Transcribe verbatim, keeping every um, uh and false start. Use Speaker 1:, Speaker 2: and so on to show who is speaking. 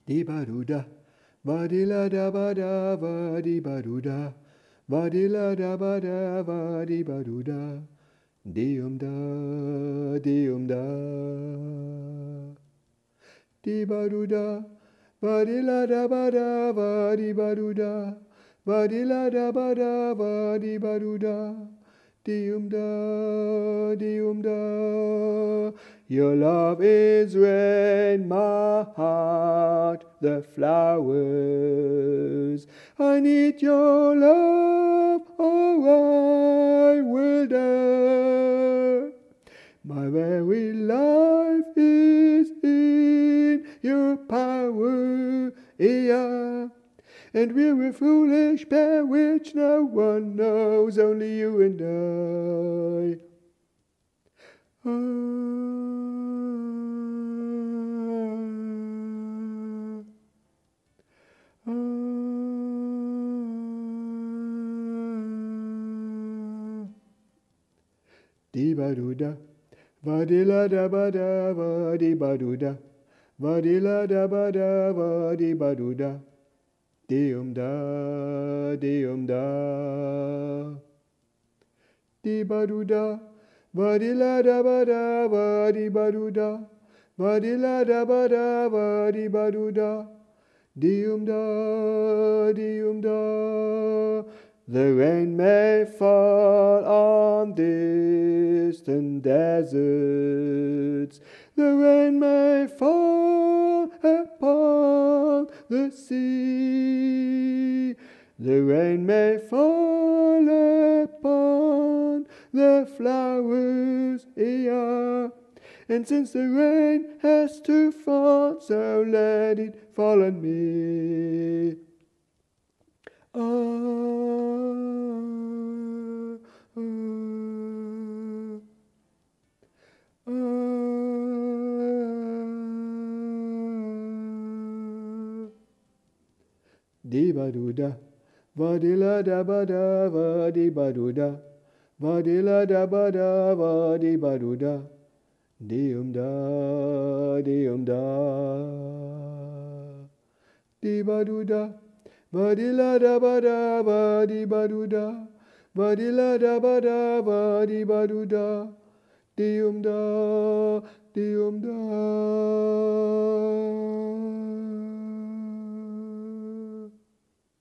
Speaker 1: Di ba do da, ba di la da ba da, ba di ba do da, ba di la da ba da, ba di ba do da, di um da, di um da, di ba do da, ba di la da ba da, ba di ba do da, ba di la da ba da, ba di ba do da. Di-um da, di-um da. Your love is in my heart, the flowers. I need your love, or I will die. My very life is in your power, yeah. And we're a foolish pair which no one knows, only you and I. Ah, ah, ah. Di-ba-do-da, va-di-la-da-ba-da, va-di-ba-do-da, va-di-la-da-ba-da, va-di-ba-do-da. Di-um da, di-um da, di-ba-do-da, va-di-la-da-ba-da, va-di-ba-do-da, va-di-la-da-ba-da, va-di-ba-do-da, di-um da, di-um da. The rain may fall on distant deserts, the rain may fall upon the sea, the rain may fall upon the flowers, yeah. And since the rain has to fall, so let it fall on me. Ah, ah, ah, di-ba-do-da, va-di-la-da-ba-da, va-di-ba-do-da, va-di-la-da-ba-da, va-di-ba-do-da, di-um da, di-um da, di-ba-do-da, va-di-la-da-ba-da, va-di-ba-do-da, va-di-la-da-ba-da, va-di-ba-do-da, di-um da, di-um da.